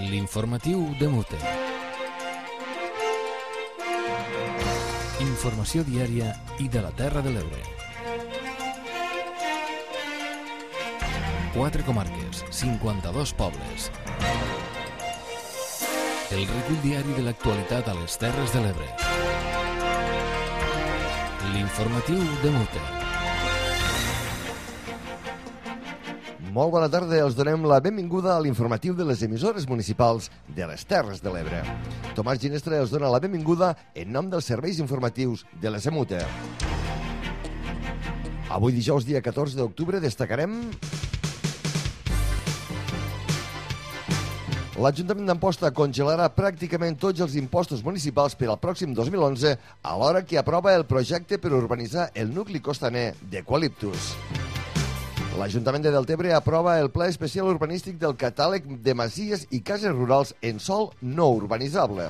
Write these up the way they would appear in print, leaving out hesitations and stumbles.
L'informatiu de Mute. Informació diària i de la Terra de l'Ebre. 4 comarques, 52 pobles. El recull diari de l'actualitat a les Terres de l'Ebre. L'informatiu de Mute. Molt bona tarda, els donem la benvinguda a l'informatiu de les emissores municipals de les Terres de l'Ebre. Tomàs Ginestra els dona la benvinguda en nom dels serveis informatius de les EMUTE. Avui dijous, dia 14 d'octubre, destacarem l'Ajuntament d'Amposta congelarà pràcticament tots els impostos municipals per al pròxim 2011 alhora que aprova el projecte per urbanitzar el nucli costaner d'Eucaliptus. L'Ajuntament de Deltebre aprova el Pla Especial Urbanístic del Catàleg de Masies i Cases Rurals en sòl no urbanitzable.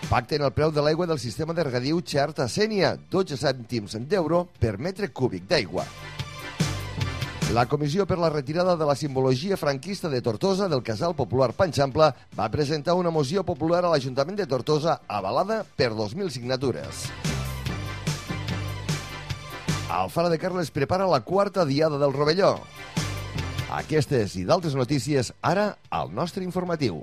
Pacten el preu de l'aigua del sistema de regadiu Xert a Sénia, 12 cèntims d'euro per metre cúbic d'aigua. La Comissió per la retirada de la simbologia franquista de Tortosa del Casal Popular Panxampla va presentar una moció popular a l'Ajuntament de Tortosa avalada per 2.000 signatures. Alfara de Carles prepara la 4ª Diada del Rovelló. Aquestes i d'altres notícies ara al nostre informatiu.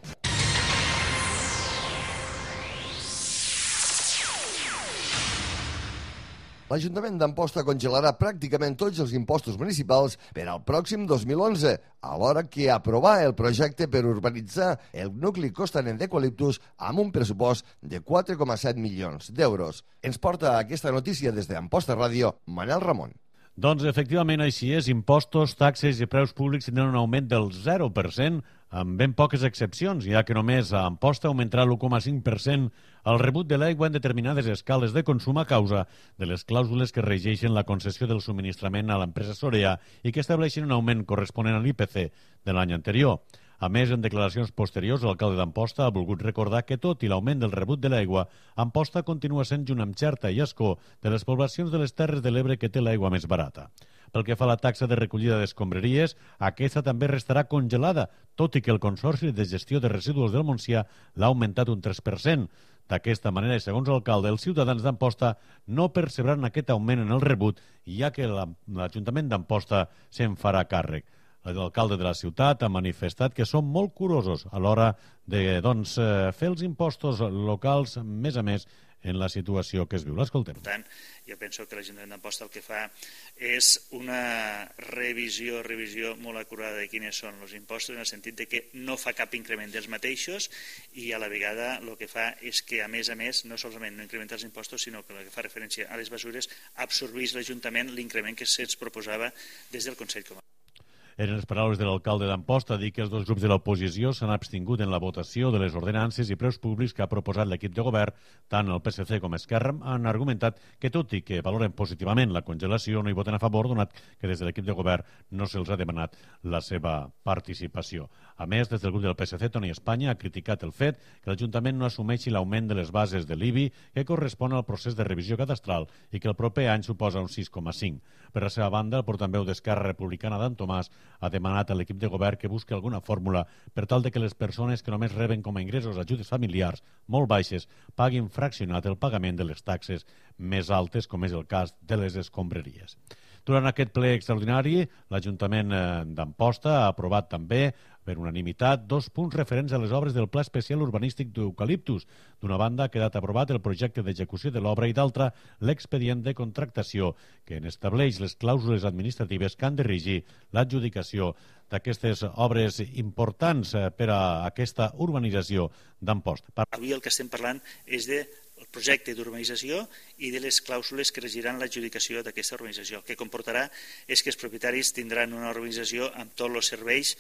L'Ajuntament d'Amposta congelarà pràcticament tots els impostos municipals per al pròxim 2011, alhora que aprovar el projecte per urbanitzar el nucli costaner d'Eucaliptus amb un pressupost de 4,7 milions d'euros. Ens porta aquesta notícia des d'Amposta Ràdio, Manel Ramon. Doncs efectivament així és, impostos, taxes i preus públics tindran un augment del 0%, amb ben poques excepcions, ja que només a Amposta augmentarà l'1,5% el rebut de l'aigua en determinades escales de consum a causa de les clàusules que regeixen la concessió del subministrament a l'empresa Sorea i que estableixen un augment corresponent a l'IPC de l'any anterior. A més, en declaracions posteriors, l'alcalde d'Amposta ha volgut recordar que, tot i l'augment del rebut de l'aigua, Amposta continua sent, junt amb Xerta i Ascó, de les poblacions de les Terres de l'Ebre que té l'aigua més barata. Pel que fa a la taxa de recollida d'escombraries, aquesta també restarà congelada, tot i que el Consorci de Gestió de Residus del Montsià l'ha augmentat un 3%. D'aquesta manera, i segons l'alcalde, els ciutadans d'Amposta no percebran aquest augment en el rebut, ja que l'Ajuntament d'Amposta se'n farà càrrec. L'alcalde de la ciutat ha manifestat que són molt curosos a l'hora de fer els impostos locals, més a més, en la situació que es viu. L'escoltem. Per tant, jo penso que l'Ajuntament d'Amposta el que fa és una revisió molt acurada de quines són els impostos, en el sentit de que no fa cap increment dels mateixos i a la vegada el que fa és que, a més, no solament no incrementa els impostos, sinó que el que fa referència a les mesures absorbeix l'Ajuntament l'increment que se'ns proposava des del Consell Comarcal. Eren les paraules de l'alcalde d'Amposta, dir que els dos grups de l'oposició s'han abstingut en la votació de les ordenances i preus públics que ha proposat l'equip de govern. Tant el PSC com Esquerra han argumentat que, tot i que valoren positivament la congelació, no hi voten a favor, donat que des de l'equip de govern no se'ls ha demanat la seva participació. A més, des del grup del PSC, Toni Espanya ha criticat el fet que l'Ajuntament no assumeixi l'augment de les bases de l'IBI que correspon al procés de revisió cadastral i que el proper any suposa un 6,5. Per la seva banda, el portaveu d'Esquerra Republicana, Dan Tomàs, ha demanat a l'equip de govern que busqui alguna fórmula per tal de que les persones que només reben com a ingressos ajudes familiars molt baixes paguin fraccionat el pagament de les taxes més altes, com és el cas de les escombraries. Durant aquest ple extraordinari, l'Ajuntament d'Amposta ha aprovat també, per unanimitat, 2 punts referents a les obres del Pla Especial Urbanístic d'Eucaliptus. D'una banda, ha quedat aprovat el projecte d'execució de l'obra i d'altra, l'expedient de contractació, que n'estableix les clàusules administratives que han de regir l'adjudicació d'aquestes obres importants per a aquesta urbanització d'Amposta. Avui el que estem parlant és del projecte d'urbanització i de les clàusules que regiran l'adjudicació d'aquesta urbanització. El que comportarà és que els propietaris tindran una urbanització amb tots els serveis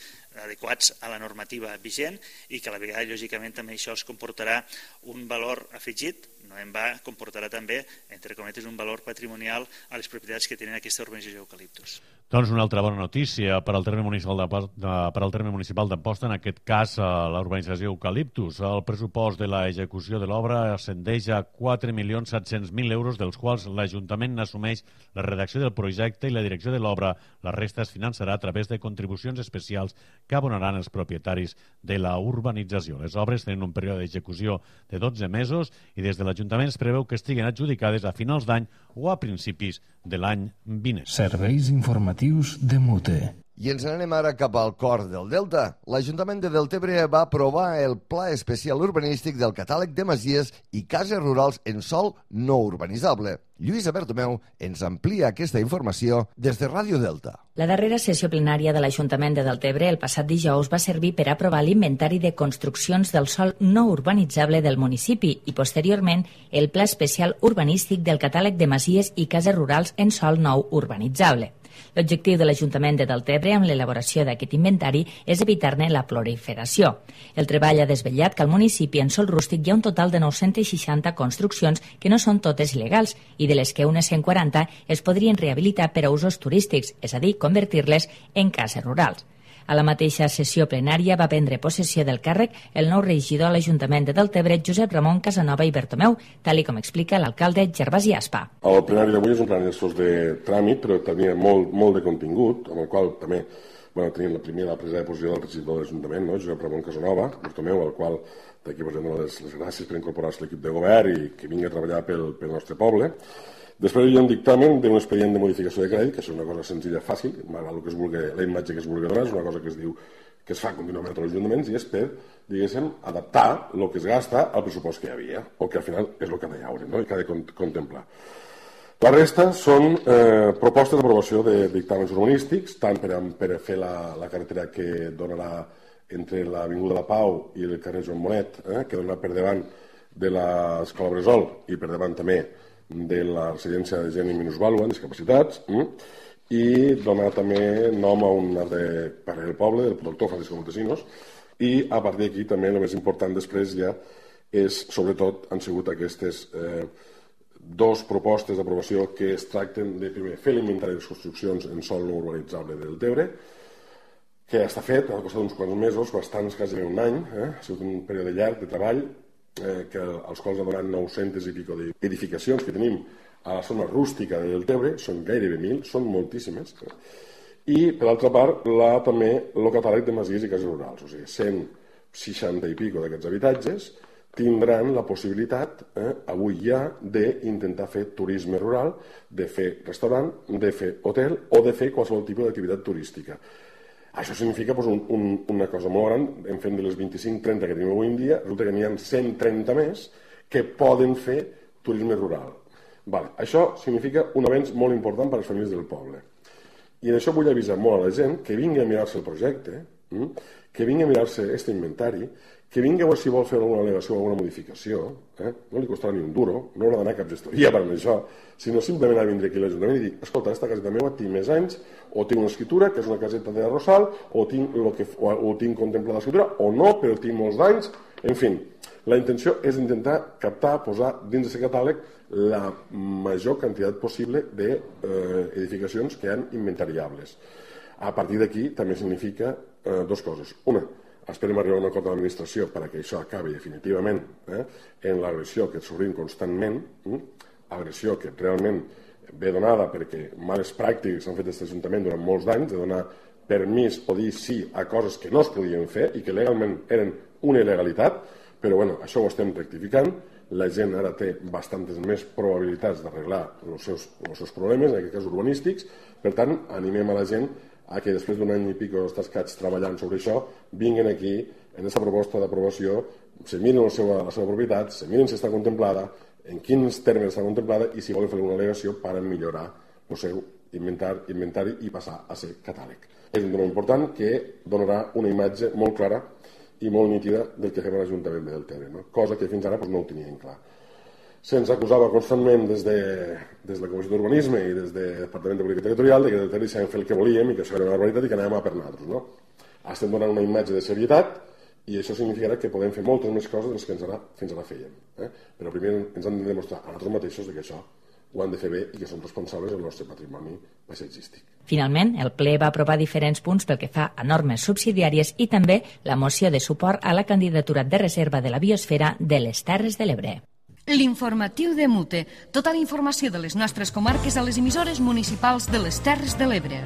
adequats a la normativa vigent i que a la vegada, lògicament, també això els comportarà un valor afegit, no en va, comportarà també, entre cometes, un valor patrimonial a les propietats que tenen aquesta urbanització d'Eucaliptus. Doncs una altra bona notícia per al terme municipal d'Amposta, en aquest cas la urbanització Eucaliptus. El pressupost de l'execució de l'obra ascendeix ja 4.700.000 euros, dels quals l'Ajuntament n'assumeix la redacció del projecte i la direcció de l'obra. La resta es finançarà a través de contribucions especials que abonaran els propietaris de la urbanització. Les obres tenen un període d'execució de 12 mesos i des de l'Ajuntament es preveu que estiguin adjudicades a finals d'any o a principis de l'any vinent. Serveis informatius de Mute. I ens n'anem ara cap al cor del Delta. L'Ajuntament de Deltebre va aprovar el Pla Especial Urbanístic del Catàleg de Masies i Cases Rurals en sòl no urbanitzable. Lluïsa Bertomeu ens amplia aquesta informació des de Ràdio Delta. La darrera sessió plenària de l'Ajuntament de Deltebre el passat dijous va servir per aprovar l'inventari de construccions del sòl no urbanitzable del municipi i, posteriorment, el Pla Especial Urbanístic del Catàleg de Masies i Cases Rurals en sòl nou urbanitzable. L'objectiu de l'Ajuntament de Deltebre amb l'elaboració d'aquest inventari és evitar-ne la proliferació. El treball ha desvetllat que al municipi en sòl rústic hi ha un total de 960 construccions que no són totes il·legals i de les que unes 140 es podrien rehabilitar per a usos turístics, és a dir, convertir-les en cases rurals. A la mateixa sessió plenària va prendre possessió del càrrec el nou regidor a l'Ajuntament de Deltebre, Josep Ramon Casanova i Bertomeu, tal com explica l'alcalde Gervasi Aspa. El plenari d'avui és un plenari de tràmit, però tenia molt de contingut, amb el qual també tenim la presa de posició del regidor de l'Ajuntament, Josep Ramon Casanova, Bertomeu, al qual d'aquí dono les gràcies per incorporar-se a l'equip de govern i que vingui a treballar pel nostre poble. Després hi ha un dictamen d'un expedient de modificació de crèdit, que és una cosa senzilla, fàcil, malgrat que es vulgui, la imatge que es vulgui donar, és una cosa que es diu que es fa contínuament a tots els ajuntaments i és per, diguéssim, adaptar el que es gasta al pressupost que hi havia, o que al final és el que ha de llaure, i que ha de contemplar. La resta són propostes d'aprovació de dictàmens urbanístics, tant per a fer la carretera que donarà entre l'Avinguda La Pau i el carrer Joan Monet, que donarà per davant de l'Escola Bressol i per davant també de la residència de gent amb minusvàlua, amb discapacitats, i donar també nom a un altre carrer del poble, del doctor Francisco Montesinos, i a partir d'aquí també el més important després ja és, sobretot, han sigut aquestes dos propostes d'aprovació que es tracten de, primer, fer l'inventari de les construccions en sòl no urbanitzable del Deltebre, que ja està fet, ha costat uns quants mesos, bastants, quasi un any, ha sigut un període llarg de treball, als quals ha donat 900 i pico d'edificacions que tenim a la zona rústica de Deltebre, són gairebé 1.000, són moltíssimes, i per altra part també el catàleg de masies i cases rurals, o sigui, 160 i pico d'aquests habitatges tindran la possibilitat, avui ja, d'intentar fer turisme rural, de fer restaurant, de fer hotel o de fer qualsevol tipus d'activitat turística. Això significa una cosa molt gran, en fent de les 25-30 que tenim avui en dia, resulta que n'hi ha 130 més que poden fer turisme rural. Això significa un avenç molt important per a les famílies del poble. I en això vull avisar molt a la gent que vingui a mirar-se el projecte, que vingui a mirar-se aquest inventari, que vingui a veure si vol fer alguna al·legació o alguna modificació, no li costarà ni un duro, no haurà d'anar a cap gestoria per això, sinó simplement a vindre aquí a l'Ajuntament i dir, escolta, aquesta caseta meva tinc més anys, o tinc una escritura, que és una caseta de Rosal, o tinc contemplada l'escriptura, o no, però tinc molts d'anys, en fi. La intenció és intentar captar, posar dins d'aquest catàleg la major quantitat possible d'edificacions que han inventariables. A partir d'aquí també significa dues coses. Una, esperem arribar a un acord de l'administració perquè això acabi definitivament en l'agressió que s'obrim constantment, agressió que realment ve donada perquè males pràctiques s'han fet d'aquest Ajuntament durant molts d'anys, de donar permís o dir sí a coses que no es podien fer i que legalment eren una il·legalitat, però això ho estem rectificant. La gent ara té bastantes més probabilitats d'arreglar els seus problemes, en aquest cas urbanístics. Per tant, animem a la gent a que després d'un any i pico estats treballant sobre això, vinguin aquí en aquesta proposta d'aprovació, se miren la seva propietat, se miren si està contemplada, en quins termes està contemplada i si volen fer alguna al·legació per millorar el seu inventari i passar a ser catàleg. És un tema important que donarà una imatge molt clara i molt nítida del que fem a l'Ajuntament de Deltebre, cosa que fins ara no ho tenien clar. Se'ns acusava constantment des de la Comissió d'Urbanisme i des del Departament de Política Territorial que Deltebre sabíem fer el que volíem i que això era una barbaritat i que anàvem a per nosaltres. Estem donant una imatge de serietat i això significarà que podem fer moltes més coses dels que fins ara fèiem. Però primer ens han de demostrar a nosaltres mateixos que això ho han de fer bé i que som responsables del nostre patrimoni paisatgístic. Finalment, el ple va aprovar diferents punts pel que fa a normes subsidiàries i també la moció de suport a la candidatura de reserva de la biosfera de les Terres de l'Ebre. L'informatiu de Mute. Tota la informació de les nostres comarques a les emissores municipals de les Terres de l'Ebre.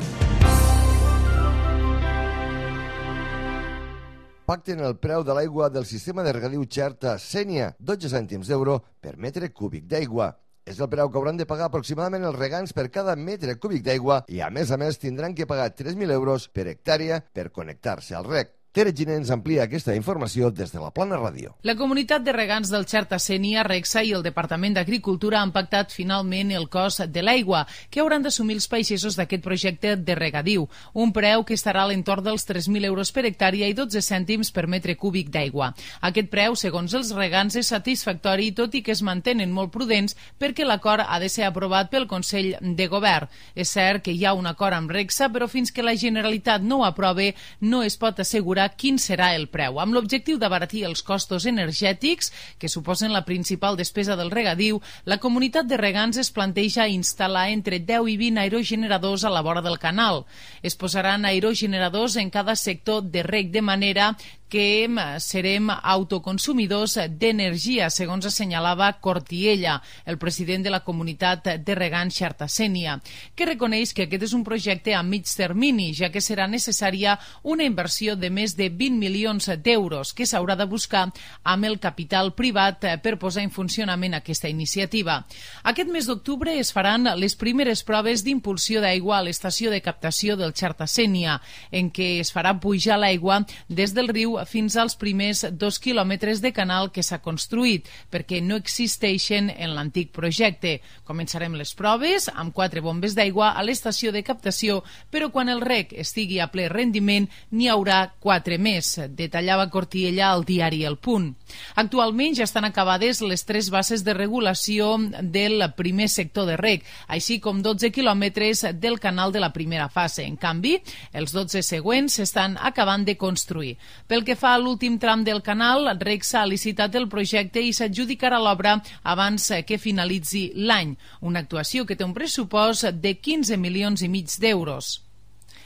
Pacten el preu de l'aigua del sistema de regadiu Xerta-Sénia, 12 cèntims d'euro per metre cúbic d'aigua. És el preu que hauran de pagar aproximadament els regants per cada metre cúbic d'aigua i, a més, tindran que pagar 3.000 euros per hectàrea per connectar-se al reg. Tere Giner ens amplia aquesta informació des de la Plana Ràdio. La comunitat de regants del Xerta-Sénia, Regsa i el Departament d'Agricultura han pactat finalment el cost de l'aigua que hauran d'assumir els pagesos d'aquest projecte de regadiu, un preu que estarà a l'entorn dels 3.000 euros per hectàrea i 12 cèntims per metre cúbic d'aigua. Aquest preu, segons els regants, és satisfactori, tot i que es mantenen molt prudents perquè l'acord ha de ser aprovat pel Consell de Govern. És cert que hi ha un acord amb Regsa, però fins que la Generalitat no ho aprove no es pot assegurar quin serà el preu. Amb l'objectiu d'abaratir els costos energètics, que suposen la principal despesa del regadiu, la comunitat de regants es planteja instal·lar entre 10 i 20 aerogeneradors a la vora del canal. Es posaran aerogeneradors en cada sector de reg de manera que serem autoconsumidors d'energia, segons assenyalava Cortiella, el president de la comunitat de regants Xerta-Sénia, que reconeix que aquest és un projecte a mig termini, ja que serà necessària una inversió de més de 20 milions d'euros que s'haurà de buscar amb el capital privat per posar en funcionament aquesta iniciativa. Aquest mes d'octubre es faran les primeres proves d'impulsió d'aigua a l'estació de captació del Xerta-Sénia, en què es farà pujar l'aigua des del riu fins als primers 2 quilòmetres de canal que s'ha construït, perquè no existeixen en l'antic projecte. Començarem les proves amb 4 bombes d'aigua a l'estació de captació, però quan el reg estigui a ple rendiment n'hi haurà 4 més, detallava Cortiella al diari El Punt. Actualment ja estan acabades les 3 bases de regulació del primer sector de reg, així com 12 quilòmetres del canal de la primera fase. En canvi, els 12 següents s'estan acabant de construir. Pel que fa a l'últim tram del canal, Regsa ha licitat el projecte i s'adjudicarà l'obra abans que finalitzi l'any, una actuació que té un pressupost de 15 milions i mig d'euros.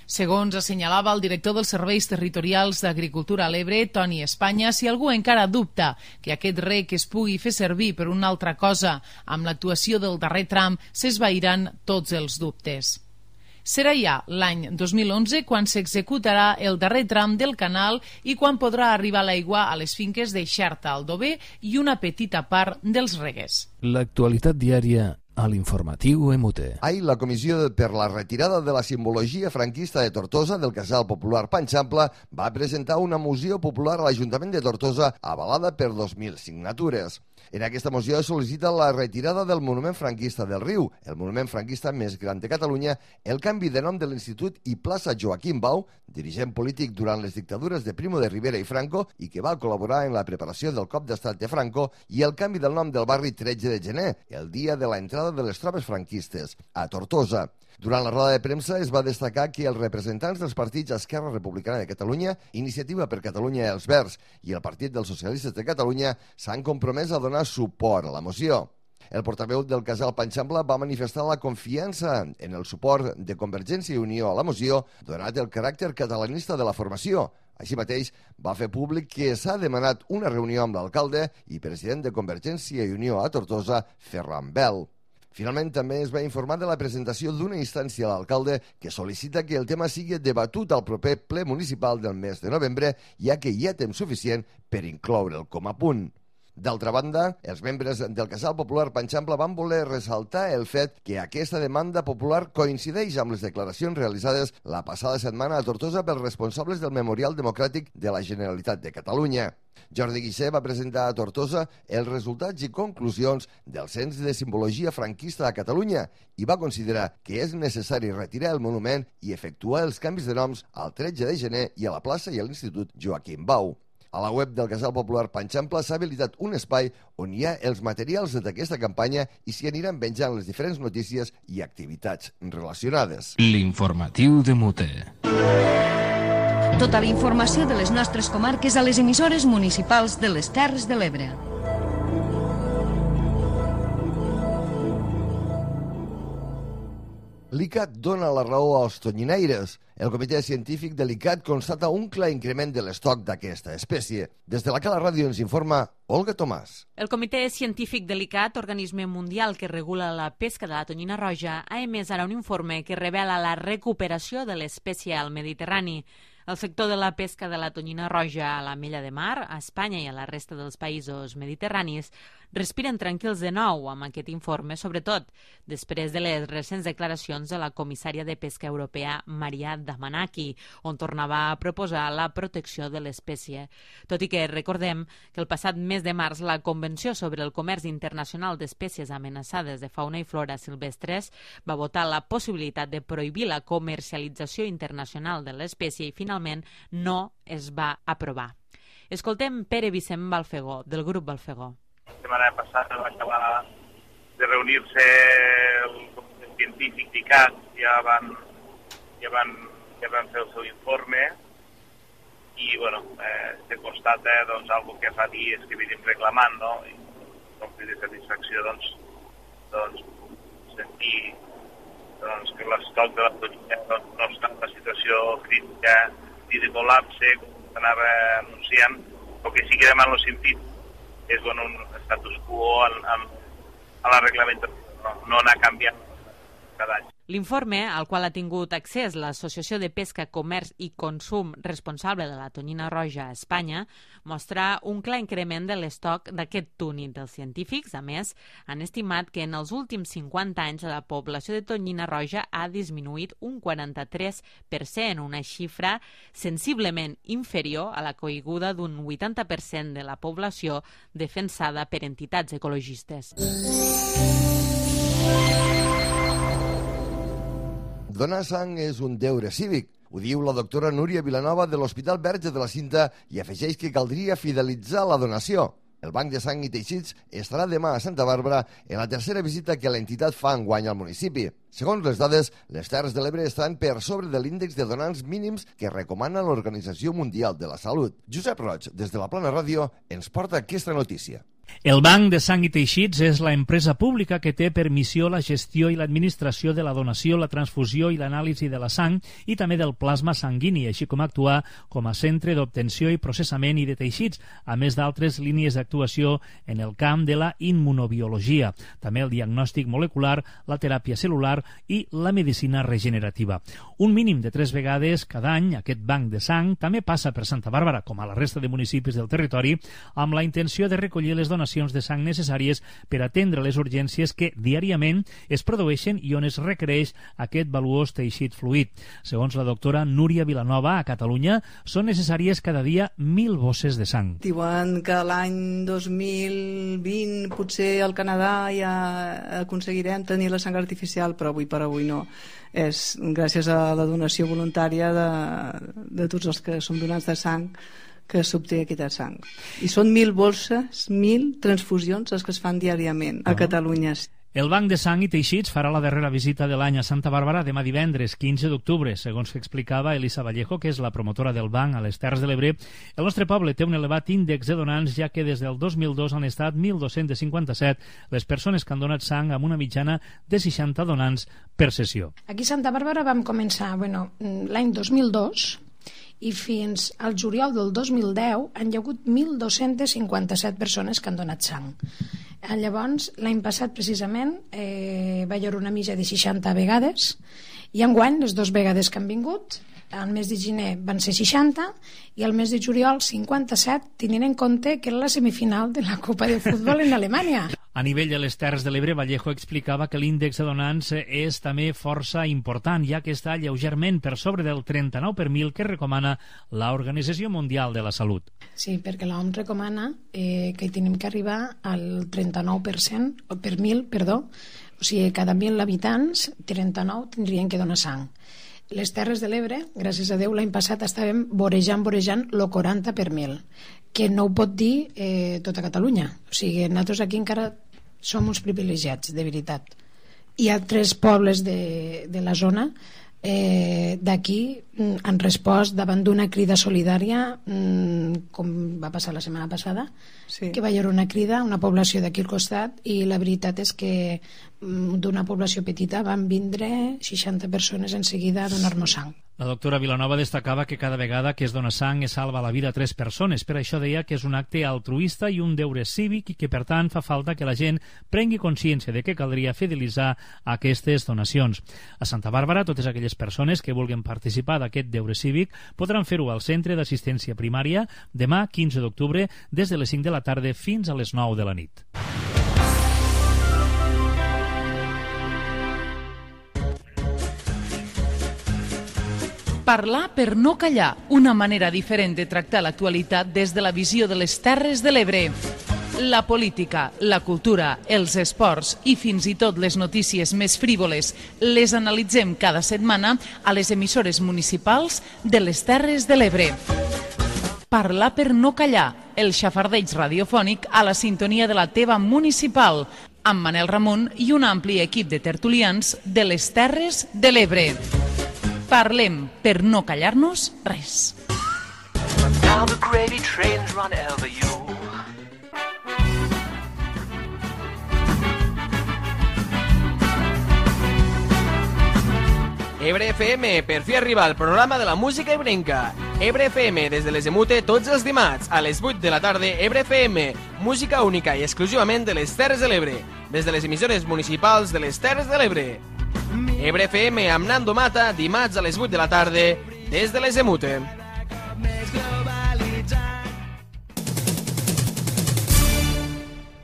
Segons assenyalava el director dels Serveis Territorials d'Agricultura a l'Ebre, Toni Espanya, si algú encara dubta que aquest reg es pugui fer servir per una altra cosa, amb l'actuació del darrer tram s'esvairan tots els dubtes. Serà ja l'any 2011 quan s'executarà el darrer tram del canal i quan podrà arribar l'aigua a les finques de Xerta, Aldover i una petita part dels reguers. L'actualitat diària a l'informatiu Emute. Ahir la Comissió per la retirada de la simbologia franquista de Tortosa del Casal Popular Panxample va presentar una moció popular a l'Ajuntament de Tortosa avalada per 2.000 signatures. En aquesta moció es sol·licita la retirada del monument franquista del Riu, el monument franquista més gran de Catalunya, el canvi de nom de l'Institut i plaça Joaquim Bau, dirigent polític durant les dictadures de Primo de Rivera i Franco i que va col·laborar en la preparació del cop d'estat de Franco, i el canvi del nom del barri 13 de gener, el dia de la entrada de les tropes franquistes, a Tortosa. Durant la roda de premsa es va destacar que els representants dels partits Esquerra Republicana de Catalunya, Iniciativa per Catalunya i els Verds i el Partit dels Socialistes de Catalunya s'han compromès a donar suport a la moció. El portaveu del Casal Panxample va manifestar la confiança en el suport de Convergència i Unió a la moció, donat el caràcter catalanista de la formació. Així mateix, va fer públic que s'ha demanat una reunió amb l'alcalde i president de Convergència i Unió a Tortosa, Ferran Bel. Finalment, també es va informar de la presentació d'una instància a l'alcalde que sol·licita que el tema sigui debatut al proper ple municipal del mes de novembre, ja que hi ha temps suficient per incloure'l com a punt. D'altra banda, els membres del Casal Popular Panxample van voler ressaltar el fet que aquesta demanda popular coincideix amb les declaracions realitzades la passada setmana a Tortosa pels responsables del Memorial Democràtic de la Generalitat de Catalunya. Jordi Guixé va presentar a Tortosa els resultats i conclusions del Cens de Simbologia Franquista a Catalunya i va considerar que és necessari retirar el monument i efectuar els canvis de noms al 13 de gener i a la plaça i a l'Institut Joaquim Bau. A la web del Casal Popular Panxample s'ha habilitat un espai on hi ha els materials d'aquesta campanya i s'hi aniran penjant les diferents notícies i activitats relacionades. L'informatiu de Mute. Tota la informació de les nostres comarques a les emissores municipals de les Terres de l'Ebre. L'ICAT dona la raó als tonyinaires. El comitè científic de l'ICAT constata un clar increment de l'estoc d'aquesta espècie. Des de la Cala Ràdio ens informa Olga Tomàs. El comitè científic de l'ICAT, organisme mundial que regula la pesca de la tonyina roja, ha emès ara un informe que revela la recuperació de l'espècie al Mediterrani. El sector de la pesca de la tonyina roja a la Mella de Mar, a Espanya i a la resta dels països mediterranis, respiren tranquils de nou amb aquest informe, sobretot després de les recents declaracions de la comissària de pesca europea Maria Damanaki, on tornava a proposar la protecció de l'espècie. Tot i que recordem que el passat mes de març la Convenció sobre el Comerç Internacional d'Espècies Amenaçades de Fauna i Flora Silvestres va votar la possibilitat de prohibir la comercialització internacional de l'espècie i finalment no es va aprovar. Escoltem Pere Vicent Balfegó, del grup Balfegó. La setmana passada va acabar de reunir-se el comitè científic d'ICAT, ja van fer el seu informe i se constata algo que fa dies que venim reclamant, no? I com que de satisfacció sentir que l'estoc de la tonyina no està en una situació crítica ni de col·lapse, com s'anava anunciant. El que sí que demana els científics és un status quo a la reglamentació, no anar canviant cada any. L'informe, al qual ha tingut accés l'Associació de Pesca, Comerç i Consum responsable de la tonyina roja a Espanya, mostra un clar increment de l'estoc d'aquest túnid. Els científics, a més, han estimat que en els últims 50 anys la població de tonyina roja ha disminuït un 43%, una xifra sensiblement inferior a la caiguda d'un 80% de la població defensada per entitats ecologistes. Donar sang és un deure cívic. Ho diu la doctora Núria Vilanova de l'Hospital Verge de la Cinta i afegeix que caldria fidelitzar la donació. El Banc de Sang i Teixits estarà demà a Santa Bàrbara en la tercera visita que l'entitat fa enguany al municipi. Segons les dades, les Terres de l'Ebre estan per sobre de l'índex de donants mínims que recomana l'Organització Mundial de la Salut. Josep Roig, des de la Plana Ràdio, ens porta aquesta notícia. El Banc de Sang i Teixits és la empresa pública que té per missió la gestió i l'administració de la donació, la transfusió i l'anàlisi de la sang i també del plasma sanguini, així com actuar com a centre d'obtenció i processament i de teixits, a més d'altres línies d'actuació en el camp de la immunobiologia, també el diagnòstic molecular, la teràpia celular i la medicina regenerativa. Un mínim de 3 vegades cada any, aquest banc de sang també passa per Santa Bàrbara, com a la resta de municipis del territori, amb la intenció de recollir les donacions de sang necessàries per atendre les urgències que diàriament es produeixen i on es requereix aquest valuós teixit fluid. Segons la doctora Núria Vilanova, a Catalunya són necessàries cada dia 1.000 bosses de sang. Diuen que l'any 2020 potser al Canadà ja aconseguirem tenir la sang artificial, però avui per avui no. És gràcies a la donació voluntària de tots els que som donants de sang que s'obté aquesta sang. I són 1.000 bolses, 1.000 transfusions les que es fan diàriament a Catalunya. El Banc de Sang i Teixits farà la darrera visita de l'any a Santa Bàrbara demà divendres, 15 d'octubre. Segons que explicava Elisa Vallejo, que és la promotora del banc a les Terres de l'Ebre, el nostre poble té un elevat índex de donants, ja que des del 2002 han estat 1.257 les persones que han donat sang amb una mitjana de 60 donants per sessió. Aquí a Santa Bàrbara vam començar l'any 2002 i fins al juliol del 2010 han hi hagut 1.257 persones que han donat sang. Llavors, l'any passat precisament va haver una mitja de 60 vegades i enguany les 2 vegades que han vingut, al mes de gener van ser 60 i al mes de juliol 57, tenint en compte que era la semifinal de la Copa de Futbol en Alemanya. A nivell de les Terres de l'Ebre, Vallejo explicava que l'índex de donants és també força important, ja que està lleugerment per sobre del 39 per 1.000 que recomana l'Organització Mundial de la Salut. Sí, perquè l'OMS recomana que tenim que arribar al 39% per 1.000, o sigui, cada 1.000 habitants, 39 tindrien que donar sang. Les Terres de l'Ebre, gràcies a Déu, l'any passat estàvem vorejant el 40 per 1.000, que no ho pot dir tota Catalunya. O sigui, nosaltres aquí encara som uns privilegiats, de veritat. Hi ha 3 pobles de la zona d'aquí han respost davant d'una crida solidària, com va passar la setmana passada, que va haver una crida, una població d'aquí al costat, i la veritat és que d'una població petita van vindre 60 persones en seguida a donar-nos sang. La doctora Vilanova destacava que cada vegada que es dona sang es salva la vida a 3 persones. Per això deia que és un acte altruista i un deure cívic i que, per tant, fa falta que la gent prengui consciència de que caldria fidelitzar aquestes donacions. A Santa Bàrbara, totes aquelles persones que vulguin participar d'aquest deure cívic podran fer-ho al Centre d'Assistència Primària demà, 15 d'octubre, des de les 5 de la tarda fins a les 9 de la nit. Parlar per no callar, una manera diferent de tractar l'actualitat des de la visió de les Terres de l'Ebre. La política, la cultura, els esports i fins i tot les notícies més frívoles les analitzem cada setmana a les emissores municipals de les Terres de l'Ebre. Parlar per no callar, el xafardeig radiofònic a la sintonia de la teva municipal, amb Manel Ramon i un ampli equip de tertulians de les Terres de l'Ebre. Parlem per no callar-nos res. Ebre FM, per fi arriba al programa de la música ebrenca. Ebre FM, des de les Emute, tots els dimarts, a les 8 de la tarda. Ebre FM, música única i exclusivament de les Terres de l'Ebre, des de les emissores municipals de les Terres de l'Ebre. Ebre FM amb Nando Mata, dimarts a les 8 de la tarda, des de les Emute.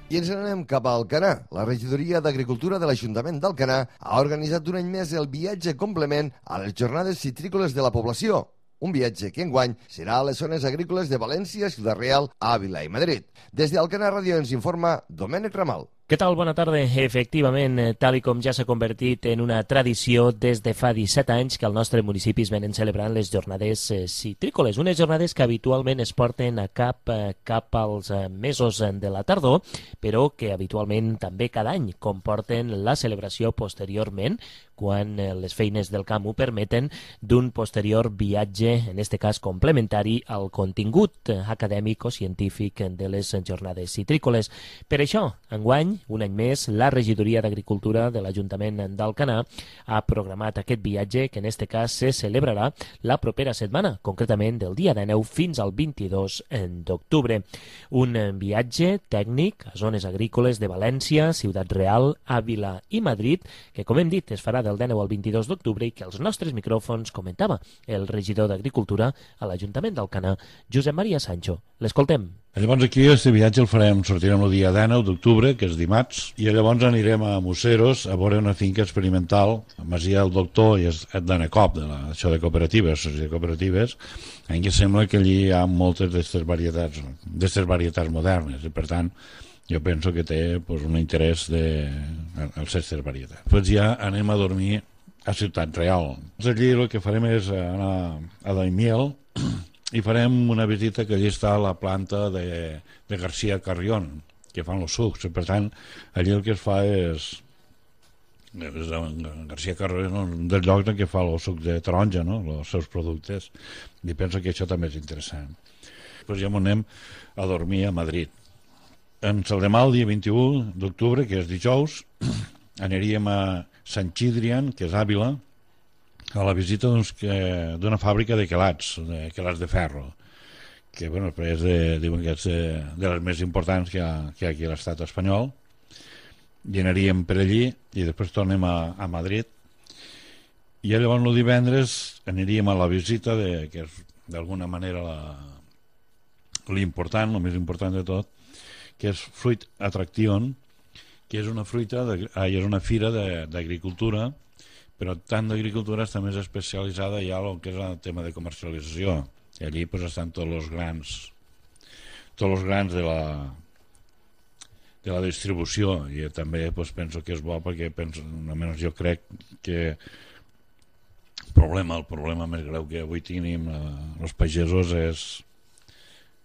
I ens anem cap a Alcanar. La regidoria d'Agricultura de l'Ajuntament d'Alcanar ha organitzat un any més el viatge complement a les jornades citrícoles de la població. Un viatge que enguany serà a les zones agrícoles de València, Ciutat Real, Àvila i Madrid. Des d'Alcanar Ràdio ens informa Domènec Ramal. Què tal? Bona tarda. Efectivament, tal i com ja s'ha convertit en una tradició des de fa 17 anys que al nostre municipi es venen celebrant les jornades citrícoles, unes jornades que habitualment es porten a cap als mesos de la tardor, però que habitualment també cada any comporten la celebració posteriorment, quan les feines del camp ho permeten, d'un posterior viatge, en aquest cas complementari, al contingut acadèmic o científic de les jornades citrícoles. Per això, enguany, un any més, la regidoria d'Agricultura de l'Ajuntament d'Alcanar ha programat aquest viatge que en aquest cas se celebrarà la propera setmana, concretament del dia 19 fins al 22 d'octubre. Un viatge tècnic a zones agrícoles de València, Ciutat Real, Àvila i Madrid, que com hem dit es farà del 19 al 22 d'octubre i que als nostres micròfons comentava el regidor d'Agricultura a l'Ajuntament d'Alcanar, Josep Maria Sancho. L'escoltem. Llavors aquí aquest viatge el farem, sortirem el dia 19 d'octubre, que és dimarts, i llavors anirem a Museros a veure una finca experimental, a Masia del Doctor i d'Anacop, això de cooperatives, de cooperatives, en què sembla que allí hi ha moltes d'aquestes varietats modernes, i per tant jo penso que té un interès en aquestes varietats. Després ja anem a dormir a Ciutat Real. Allí el que farem és anar a Daimiel, i farem una visita que allí està a la planta de García Carrión, que fan els sucs. Per tant, allí el que es fa és García Carrión, un dels llocs en què fa el suc de taronja, no? Els seus productes, i penso que això també és interessant. Després ja anem a dormir a Madrid. Ens el demà, el dia 21 d'octubre, que és dijous, aniríem a Sant Xidrian, que és Àvila, a la visita d'una fàbrica de quelats de ferro, que diuen que és de les més importants que hi ha aquí a l'estat espanyol, i aniríem per allí i després tornem a Madrid, i llavors el divendres aniríem a la visita que és d'alguna manera l'important, el més important de tot, que és Fruit Attraction, que és una fira d'agricultura, però tant d'agricultura està més especialitzada ja en el que és el tema de comercialització. I allí estan tots els grans de la distribució, i també penso que és bo perquè almenys jo crec que el problema més greu que avui tenim els pagesos és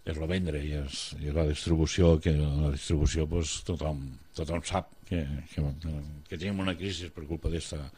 el vendre i la distribució, que la distribució tothom tothom sap que tenim una crisi per culpa d'esta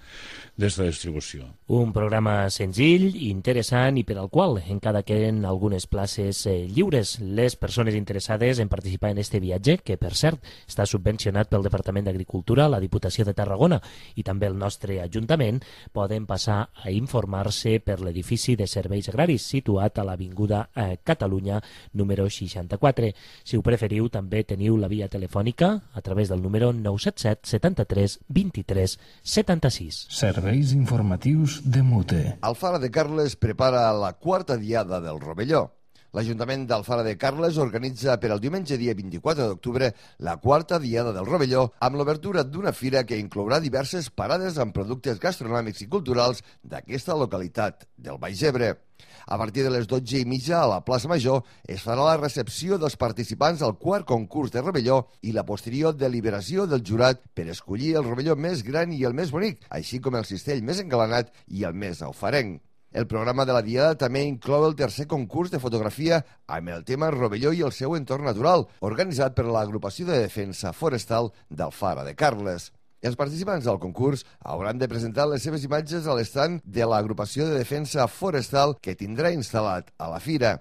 distribució. Un programa senzill, interessant i per al qual encara queden algunes places lliures. Les persones interessades en participar en este viatge, que per cert està subvencionat pel Departament d'Agricultura, la Diputació de Tarragona i també el nostre Ajuntament, poden passar a informar-se per l'edifici de serveis agraris situat a l'Avinguda Catalunya número 64. Si ho preferiu, també teniu la via telefònica a través del número 977 73 23 76. Serveis informatius de Mute. Alfara de Carles prepara la quarta diada del Rovelló. L'Ajuntament d'Alfara de Carles organitza per al diumenge dia 24 d'octubre la quarta diada del Rovelló amb l'obertura d'una fira que inclourà diverses parades amb productes gastronòmics i culturals d'aquesta localitat del Baix Ebre. A partir de les 12:30 a la plaça Major es farà la recepció dels participants al quart concurs de Rovelló i la posterior deliberació del jurat per escollir el Rovelló més gran i el més bonic, així com el cistell més engalanat i el més aufarenc. El programa de la diada també inclou el tercer concurs de fotografia amb el tema Rovelló i el seu entorn natural, organitzat per l'Agrupació de Defensa Forestal d'Alfara de Carles. Els participants del concurs hauran de presentar les seves imatges a l'estand de l'Agrupació de Defensa Forestal que tindrà instal·lat a la fira.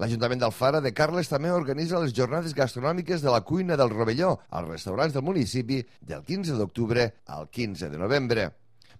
L'Ajuntament d'Alfara de Carles també organitza les jornades gastronòmiques de la cuina del Rovelló als restaurants del municipi del 15 d'octubre al 15 de novembre.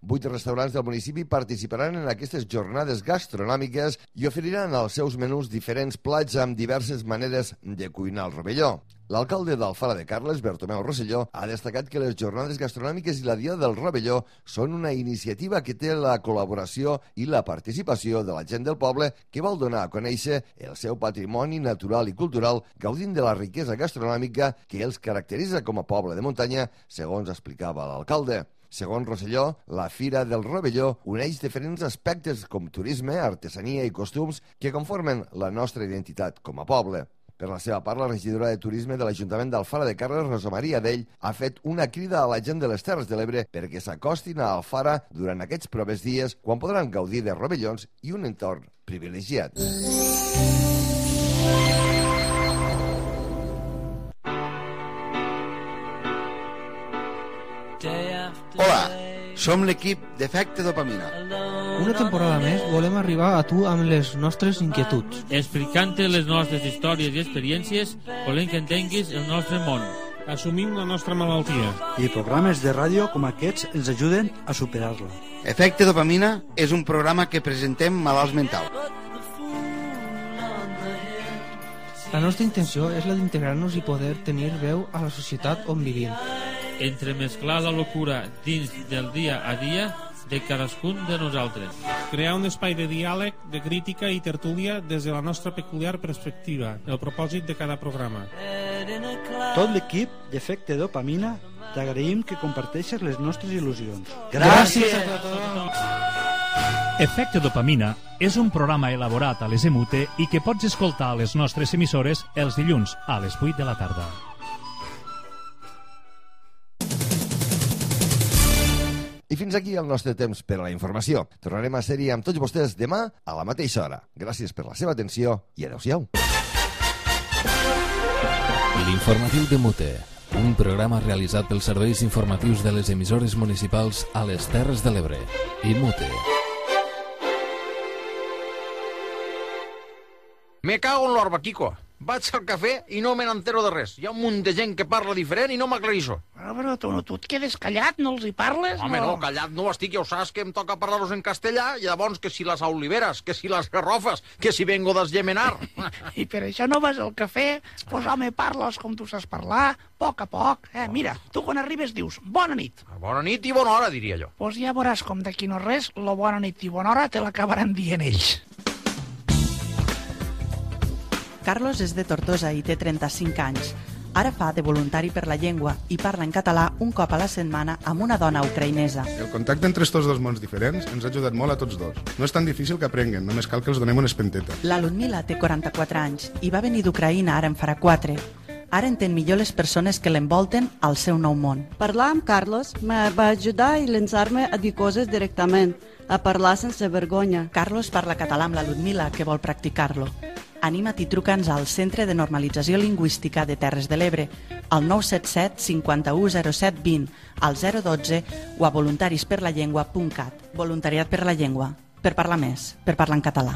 8 restaurants del municipi participaran en aquestes jornades gastronòmiques i oferiran als seus menús diferents plats amb diverses maneres de cuinar el Rovelló. L'alcalde d'Alfara de Carles, Bertomeu Rosselló, ha destacat que les jornades gastronòmiques i la Diada del Rovelló són una iniciativa que té la col·laboració i la participació de la gent del poble que vol donar a conèixer el seu patrimoni natural i cultural gaudint de la riquesa gastronòmica que els caracteritza com a poble de muntanya, segons explicava l'alcalde. Segons Rosselló, la Fira del Rovelló uneix diferents aspectes com turisme, artesania i costums que conformen la nostra identitat com a poble. Per la seva part, la regidora de Turisme de l'Ajuntament d'Alfara de Carles, Rosa Maria Dell, ha fet una crida a la gent de les Terres de l'Ebre perquè s'acostin a Alfara durant aquests propers dies quan podran gaudir de rovellons i un entorn privilegiat. Hola, som l'equip d'Efecte Dopamina. Una temporada més volem arribar a tu amb les nostres inquietuds. Explicant-te les nostres històries i experiències, volem que entenguis el nostre món. Assumim la nostra malaltia. I programes de ràdio com aquests ens ajuden a superar-la. Efecte Dopamina és un programa que presentem malalts mentals. La nostra intenció és la d'integrar-nos i poder tenir veu a la societat on vivim. Entremesclar la locura dins del dia a dia de cadascun de nosaltres. Crear un espai de diàleg, de crítica i tertúlia des de la nostra peculiar perspectiva, el propòsit de cada programa. Tot l'equip d'Efecte Dopamina t'agraïm que comparteixes les nostres il·lusions. Gràcies a tothom! Efecte Dopamina és un programa elaborat a les EMUTE i que pots escoltar a les nostres emissores els dilluns a les 8 de la tarda. I fins aquí el nostre temps per a la informació. Tornarem a ser-hi amb tots vostès demà a la mateixa hora. Gràcies per la seva atenció i adeu-siau. L'informatiu de Mute, un programa realitzat pels serveis informatius de les emissores municipals a les Terres de l'Ebre i Mute. Me cago en l'orba, Kiko. Vaig al cafè i no me n'entero de res. Hi ha un munt de gent que parla diferent i no m'aclarissó. Però tu et quedes callat, no els hi parles? Home, no, callat no estic, ja ho saps que em toca parlar-los en castellà i llavors que si les oliveres, que si les garrofes, que si vengo d'Esgemenar. I per això no vas al cafè? Pues home, parles com tu saps parlar, a poc. Mira, tu quan arribes dius bona nit. Bona nit i bona hora, diria jo. Pues ja veuràs com d'aquí no res, la bona nit i bona hora te l'acabaran dient ells. Carlos és de Tortosa i té 35 anys. Ara fa de voluntari per la llengua i parla en català un cop a la setmana amb una dona ucraïnesa. El contacte entre estos dos mons diferents ens ha ajudat molt a tots dos. No és tan difícil que aprenguen, només cal que els donem una espenteta. La Ludmila té 44 anys i va venir d'Ucraïna ara en farà 4. Ara entén millor les persones que l'envolten al seu nou món. Parlar amb Carlos me va ajudar i llançar-me a dir coses directament, a parlar sense vergonya. Carlos parla català amb la Ludmila, que vol practicar-lo. Anima't i truca'ns al Centre de Normalització Lingüística de Terres de l'Ebre, al 977 51 07 20, al 012 o a voluntarisperlallengua.cat. Voluntariat per la llengua, per parlar més, per parlar en català.